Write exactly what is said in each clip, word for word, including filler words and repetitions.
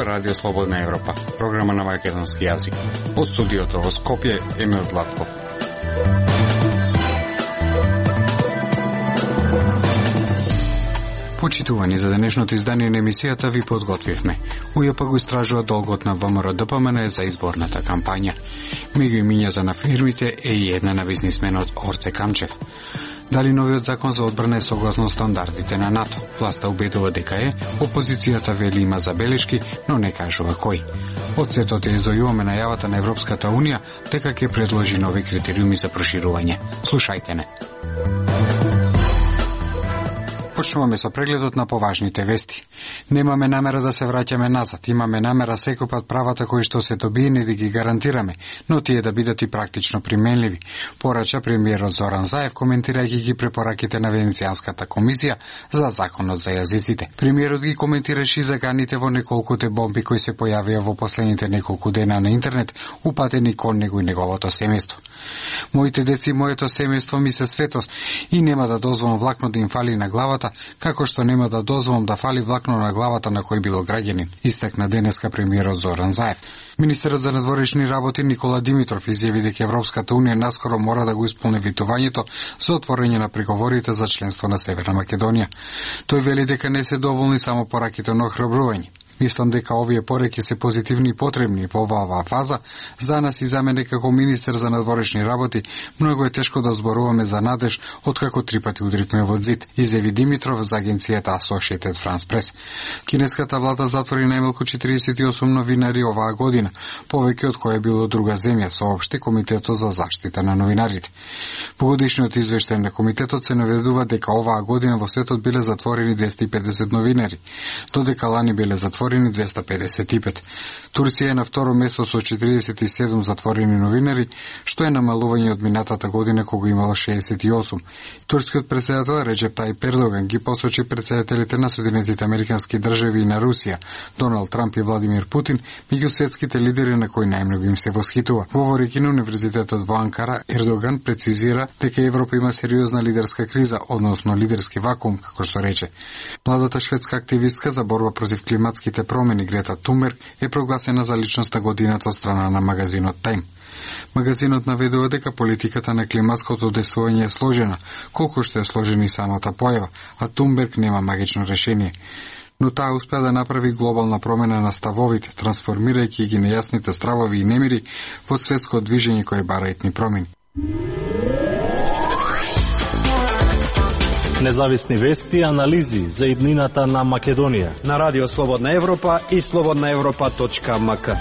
Радио Слободна Европа, програма на македонски јазик. Од студиото во Скопје, Емил Златков. Почитувани, за денешното издание на емисијата ви подготвивме. УЈП го истражува долгот на ВМРО-ДПМН за изборната кампања. Меѓу имињата на фирмите е и една на бизнисменот Орце Камчев. Дали новиот закон за одбрана е согласно стандардите на НАТО? Власта убедува дека е, опозицијата вели има забелешки, но не кажува кој. Од светот е изојуваме најавата на Европската Унија дека ќе предложи нови критериуми за проширување. Слушајте не. Почнуваме со прегледот на поважните вести. Немаме намера да се враќаме назад, имаме намера секој пат правата кои што се добиени да ги гарантираме, но тие да бидат и практично применливи, порача премиерот Зоран Заев коментирајќи ги препораките на Венецијанската комисија за законот за јазиците. Премиерот ги коментираше и заганите во неколкуте бомби кои се појавија во последните неколку дена на интернет, упатени кон него и неговото семејство. Моите деци и моето семејство ми се светост и нема да дозволам влакно да им фали на главата, како што нема да дозволам да фали влакно на главата на кој било граѓанин, истакна денеска премиерот Зоран Заев. Министерот за надворешни работи Никола Димитров изјави дека Европската Унија наскоро мора да го исполни ветувањето за отворање на преговорите за членство на Северна Македонија. Тој вели дека не се доволни само пораките на охрабрување. Мислам дека овие пореки се позитивни и потребни во оваа фаза. За нас и за мене како министер за надворешни работи многу е тешко да зборуваме за надеж откако три пати удритме во зид, изјави Димитров за агенцијата Associated France Press. Кинеската влада затвори најмалку четиридесет и осум новинари оваа година, повеќе од која било друга земја, соопшти Комитетот за заштита на новинарите. По годишниот извештај на комитетот се наведува дека оваа година во светот биле затворени двесте и педесет новинари, додека лани биле затворени двесте педесет и пет. Турција е на второ место со четиридесет и седум затворени новинари, што е намалување од минатата година кога имало шеесет и осум. Турскиот председател Реджеп Тајип Ердоган ги посочи председателите на Соединетите Американски држави и на Русија, Доналд Трамп и Владимир Путин, меѓу светските лидери на кои најмногу им се восхитува. Говорејќи на Универзитетот во Анкара, Ердоган прецизира дека Европа има сериозна лидерска криза, односно лидерски вакуум, како што рече. Младата шведска активистка за борба против климатските промени Грета Тунберг е прогласена за личност на годината од страна на магазинот Time. Магазинот наведува дека политиката на климатското действување е сложена, колку што е сложена и самата појава, а Тунберг нема магично решение. Но таа успеа да направи глобална промена на ставовите, трансформирајќи ги нејасните стравови и немири во светско движење кое бара етни промени. Независни вести и анализи за иднината на Македонија на Радио Слободна Европа и слободна европа точка ем ка.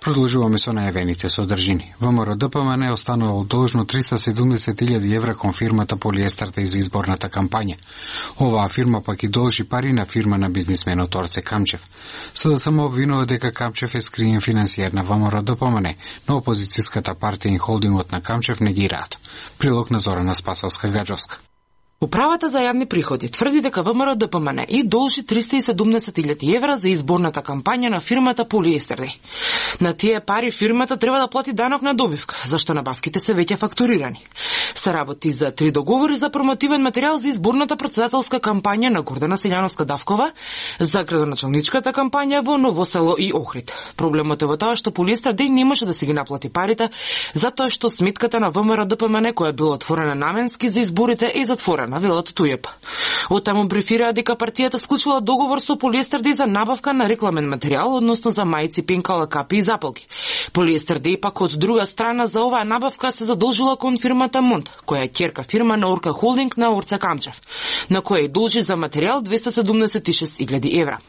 Продолжуваме со најавените содржини. ВМРО-ДПМН е останало должно триста и седумдесет илјади евра кон фирмата Полиестерте за изборната кампања. Оваа фирма пак и должи пари на фирма на бизнисменот Орце Камчев. СДСМ обвинува дека Камчев е скриен финансиер на ВМРО-ДПМН, но опозицијската партија и холдингот на Камчев не ги раат. Прилог на Зорана Спасовска-Гаджовска. Управата за јавни приходи тврди дека ВМРО-ДПМН и должи триста и седумдесет илјади евра за изборната кампања на фирмата Полиестерте. На тие пари фирмата треба да плати данок на добивка, зашто набавките се веќе фактурирани. Се работи за три договори за промотивен материјал за изборната претседателска кампања на Гордана Силјановска-Давкова, за градоначалничката кампања во Ново село и Охрид. Проблемот е во тоа што Полиестерте не може да си ги наплати парите, затоа што сметката на ВМРО-ДПМН која била отворена наменски за изборите е затворена, велат УЈП. Оттаму брифираа дека партијата склучила договор со Полиестерте за набавка на рекламен материјал, односно за мајци, пенкала, капи и запалки. Полиестерте пак од друга страна за оваа набавка се задолжила кон фирмата Монт, која е ќерка фирма на Орка Холдинг на Орце Камчев, на која ја должи за материјал двесте и седумдесет и шест илјади евра.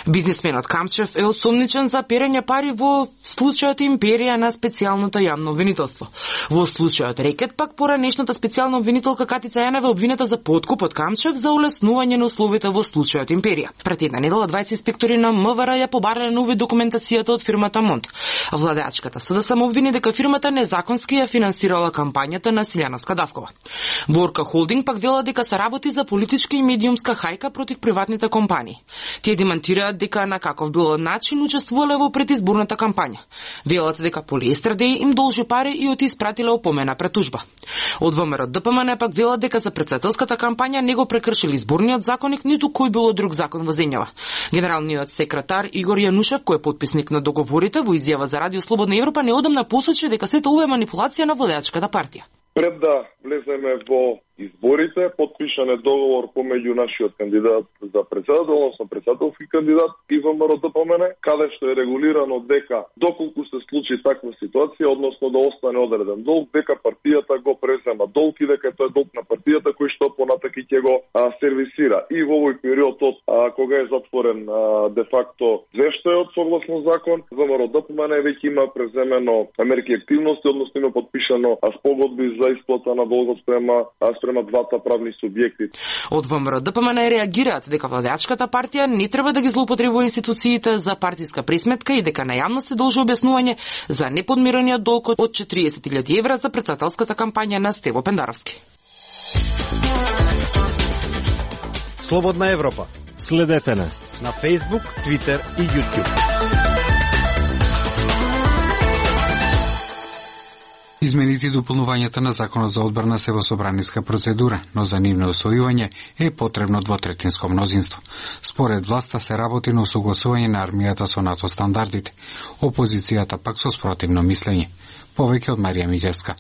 Бизнисменот Камчев е осомничен за перење пари во случајот Империја на специјалното јавно обвинителство. Во случајот Рекет пак поранешната специјална обвинителка Катица Јанева е обвинета за подкуп од Камчев за улеснување на условите во случајот Империја. Пред една недела дваесет инспектори на МВР ја побарале на увид документацијата од фирмата Монт. Владеачката СДСМ обвини дека фирмата незаконски ја финансирала кампањата на Силјановска-Давкова. Орка Холдинг пак вела дека се работи за политичка и медиумска хајка против приватните компании. Тие демантираат дека на каков било начин учествувале во предизборната кампања. Велат дека Полиестерте им должи пари и од испратиле опомена пред тужба. Од ВМРО-ДПМН пак велат дека за председател претседателската кампања не го прекршил изборниот законник, ниту кој било друг закон во земјава. Генералниот секретар Игор Јанушев, кој е потписник на договорите, во изјава за Радио Слободна Европа неодамна посочи дека сето ова е манипулација на владеачката партија. Пред да влеземе во изборите, подпишан е договор помеѓу нашиот кандидат за председател, односно председателски кандидат и ВМРО ДПМН, каде што е регулирано дека доколку се случи таква ситуација, односно да остане одреден долг, дека партијата го презема долг и дека тоа е долг на партијата кој што понатаки ќе го а, сервисира. И во овој период од а, кога е затворен а, де факто звештајот согласно закон, ВМРО ДПМН веќе има преземено мерки активности, односно има подпишано а, спогодби за исплата на долгот спрема а, спрема двата правни субјекти. Од ВМРО ДПМН реагираат дека владеачката партија не треба да ги злоупотребува институциите за партиска пресметка и дека на јавност се должи објаснување за неподмирениот долг од четириесет илјади евра за претседателската кампања на Стево Пендаровски. Слободна Европа. Следете на на Facebook, Twitter и YouTube. Измените и дополнувањата на Законот за одбрана се во собраниска процедура, но за нивно усвојување е потребно двотретинско мнозинство. Според власта се работи на усогласување на армијата со НАТО стандардите, опозицијата пак со спротивно мислење. Повеќе од Марија Миќевска.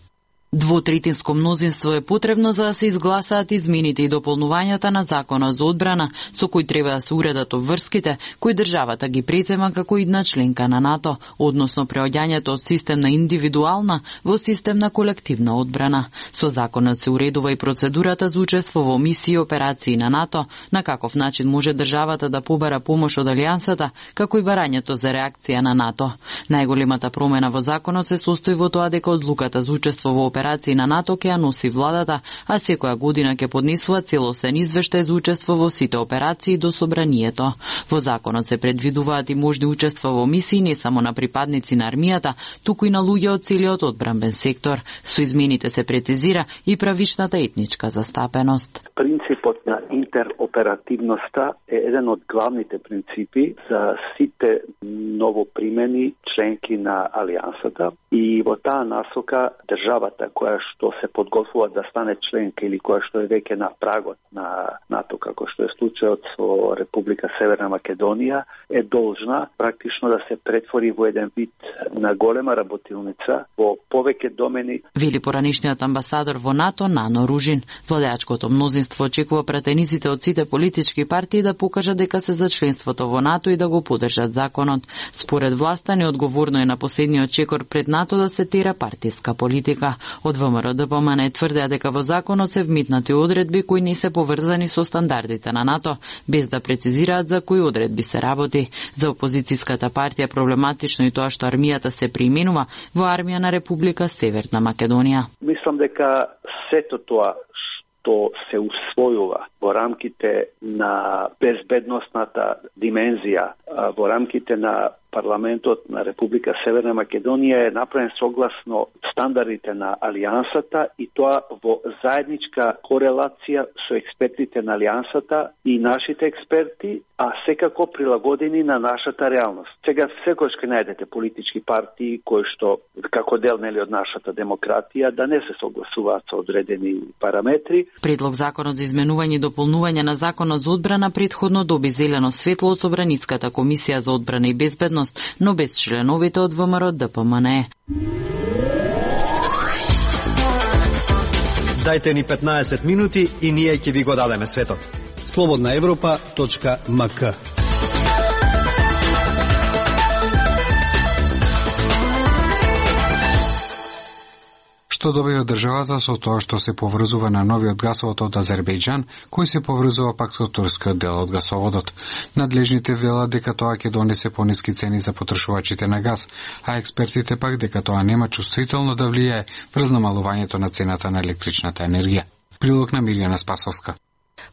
Двотретинско мнозинство е потребно за да се изгласаат измените и дополнувањата на Законот за одбрана, со кој треба да се уредат обврските кои државата ги презема како идна членка на НАТО, односно преоѓањето од систем на индивидуална во систем на колективна одбрана. Со законот се уредува и процедурата за учество во мисии и операции на НАТО, на каков начин може државата да побара помош од алијансата, како и барањето за реакција на НАТО. Најголемата промена во законот се состои во тоа дека одлуката за учество во операции на НАТО ќе ја носи владата, а секоја година ќе поднесува целосен извештај за учество во сите операции до собранието. Во законот се предвидуваат и можни учества во мисии не само на припадници на армијата, туку и на луѓе од целиот одбранбен сектор. Со измените се прецизира и правичната етничка застапеност. Принципот на интероперативноста е еден од главните принципи за сите новопримени членки на алијансата и во таа насока државата која што се подготвува да стане членка или која што е веќе на прагот на НАТО, како што е случајот со Република Северна Македонија, е должна практично да се претвори во еден вид на голема работилница во повеќе домени. Вели поранишниот амбасадор во НАТО Нано Ружин. Владеачкото мнозинство очекува пратениците од сите политички партии да покажат дека се за членството во НАТО и да го поддржат законот. Според власта неодговорно е на последниот чекор пред НАТО да се тера партиска политика. Од ВМРО ДПМН тврдеа дека во законот се вмитнати одредби кои не се поврзани со стандардите на НАТО, без да прецизираат за кои одредби се работи. За опозицијската партија проблематично и тоа што армијата се преименува во армија на Република Северна Македонија. Мислам дека сето тоа што се усвојува во рамките на безбедносната димензија, во рамките на парламентот на Република Северна Македонија е направен согласно стандардите на алијансата и тоа во заедничка корелација со експертите на алијансата и нашите експерти, а секако прилагодени на нашата реалност. Сега секојаш ќе најдете политички партии кои што како дел нели од нашата демократија да не се согласуваат со одредени параметри. Предлог законот за изменување и дополнување на Законот за одбрана претходно доби зелено светло од Собраниската комисија за одбрана и безбедност, но без членовите од ВМРО ДПМН. Дајте ни петнаесет минути и ние ќе ви го дадеме светот. слободна европа точка ем ка. Што добива државата со тоа што се поврзува на новиот гасовод од Азербејџан, кој се поврзува пак со турскиот дел од гасоводот. Надлежните велат дека тоа ќе донесе пониски цени за потрошувачите на газ, а експертите пак дека тоа нема чувствително да влијае врз намалувањето на цената на електричната енергија. Прилог на Мирјана Спасовска.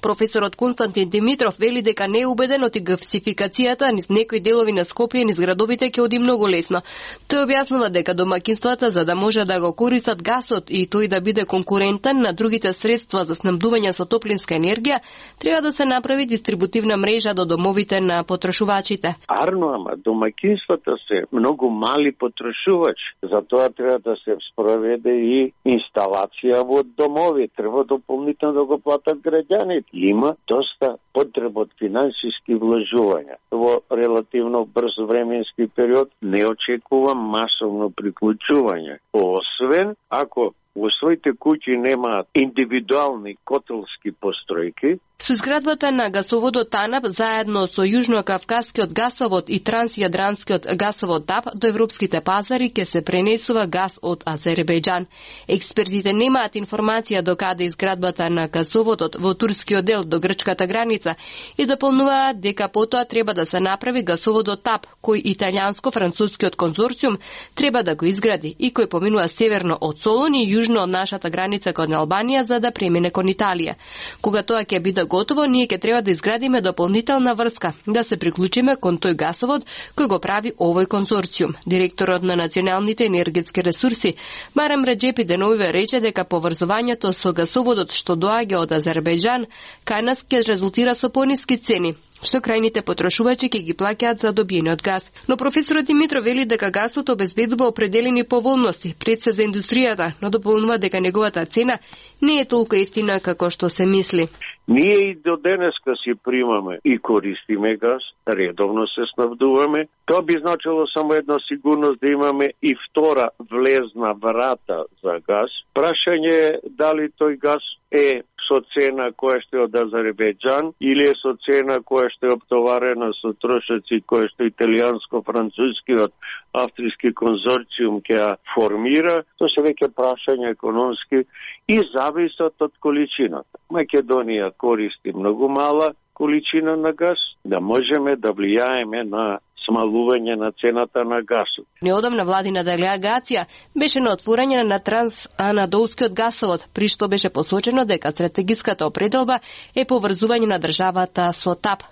Професорот Константин Димитров вели дека не е убеден од гасификацијата низ некои делови на Скопје низ градовите ќе оди многу лесно. Тој објаснува дека домаќинствата за да може да го користат гасот и тој да биде конкурентен на другите средства за снабдување со топлинска енергија, треба да се направи дистрибутивна мрежа до домовите на потрошувачите. Арно, ама домаќинствата се многу мали потрошувачи, затоа треба да се спроведе и инсталација во домови, треба дополнително да го платат граѓаните. Има доста потреба од финансиски вложувања. Во релативно брз временски период не очекувам масовно приклучување, освен ако во своите куќи немаат индивидуални котелски постројки. Со изградбата на гасоводот ТАНАП заедно со Јужно-Кавказскиот гасовод и Трансјадранскиот гасовод ТАП до европските пазари ќе се пренесува газ од Азербејџан. Експертите немаат информација до каде изградбата на гасоводот во турскиот дел до грчката граница и дополнуваат дека потоа треба да се направи гасоводот ТАП, кој италијанско-францускиот конзорциум треба да го изгради и кој поминува северно од Солун и јужно од нашата граница кон Албанија за да премине кон Италија. Кога тоа ќе биде готово, ние ќе треба да изградиме дополнителна врска, да се приклучиме кон тој гасовод кој го прави овој конзорциум. Директорот на националните енергетски ресурси, Барам Реджепи деновиве рече дека поврзувањето со гасоводот што доаѓа од Азербејџан кај нас ќе резултира со пониски цени, што крајните потрошувачи ќе ги плаќаат за добиениот газ. Но професорот Димитров вели дека гасот обезбедува определени поволности пред се за индустријата, но дополнува дека неговата цена не е толку ефтина како што се мисли. Ние и до денеска си примаме и користиме газ, редовно се снабдуваме. Тоа би значило само една сигурност да имаме и втора влезна врата за газ. Прашање е дали тој газ е со цена која што е од Азербејџан или е со цена која што е оптоварена со трошоци која што италијанско-францускиот австријски конзорциум ќе ја формира. Тоа се веќе прашање економски и зависат од количината. Македонија користи многу мала количина на газ, да можеме да влијаеме на смалување на цената на гасот. Неодамна владина делегација беше на отворање на Трансанадолскиот гасовод, при што беше посочено дека стратегиската определба е поврзување на државата со ТАП.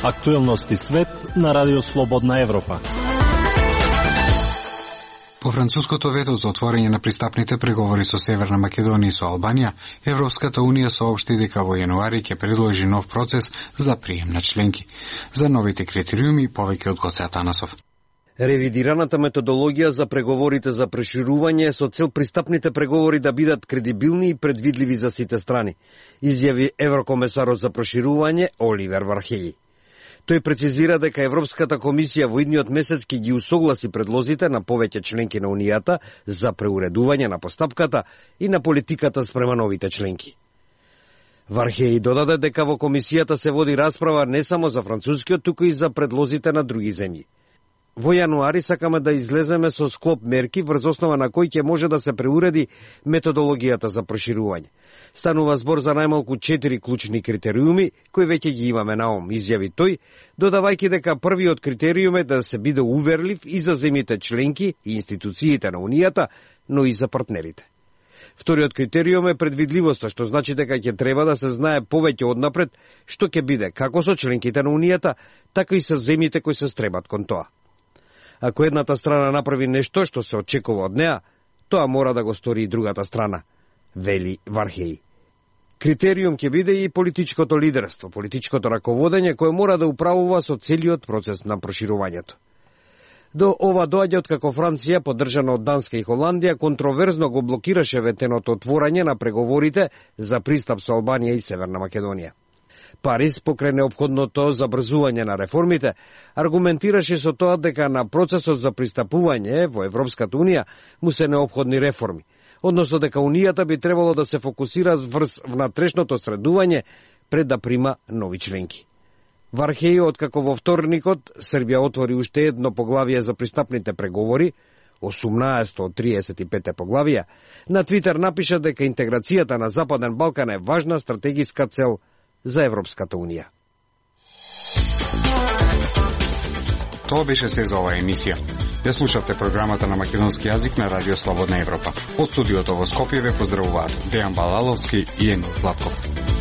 Актуелности свет на Радио Слободна Европа. По француското вето за отворање на пристапните преговори со Северна Македонија и со Албанија, Европската Унија соопшти дека во јануари ќе предложи нов процес за прием на членки. За новите критериуми повеќе од Гоце Атанасов. Ревидираната методологија за преговорите за проширување со цел пристапните преговори да бидат кредибилни и предвидливи за сите страни, изјави еврокомесарот за проширување Оливер Вархеји. Тој прецизира дека Европската комисија во идниот месец ќе ги усогласи предлозите на повеќе членки на Унијата за преуредување на постапката и на политиката спрема новите членки. Вархеји додаде дека во комисијата се води расправа не само за францускиот, туку и за предлозите на други земји. Во јануари сакаме да излеземе со склоп мерки врз основа на кој ќе може да се преуреди методологијата за проширување. Станува збор за најмалку четири клучни критериуми, кои веќе ги имаме на ум, изјави тој, додавајќи дека првиот критериум е да се биде уверлив и за земјите членки и институциите на Унијата, но и за партнерите. Вториот критериум е предвидливоста, што значи дека ќе треба да се знае повеќе однапред што ќе биде како со членките на Унијата, така и со земјите кои се стремат кон тоа. Ако едната страна направи нешто што се очекува од неа, тоа мора да го стори и другата страна, вели Вархеји. Критериум ќе биде и политичкото лидерство, политичкото раководење кое мора да управува со целиот процес на проширувањето. До ова доаѓа откако Франција, поддржана од Данска и Холандија, контроверзно го блокираше ветеното отворање на преговорите за пристап со Албанија и Северна Македонија. Париз, покрај неопходното забрзување на реформите, аргументираше со тоа дека на процесот за пристапување во Европската Унија му се неопходни реформи, односно дека Унијата би требало да се фокусира врз внатрешното средување пред да прима нови членки. Вархеји, откако во вторникот Србија отвори уште едно поглавие за пристапните преговори, осумнаесто од триесет и пет поглавија, на Твитер напиша дека интеграцијата на Западен Балкан е важна стратегиска цел за Европската Унија. Тоа беше се за оваа емисија. Ја слушавте програмата на македонски јазик на Радио Слободна Европа. Од студиото во Скопје ве поздравуваат Дејан Балаловски и Емил Златков.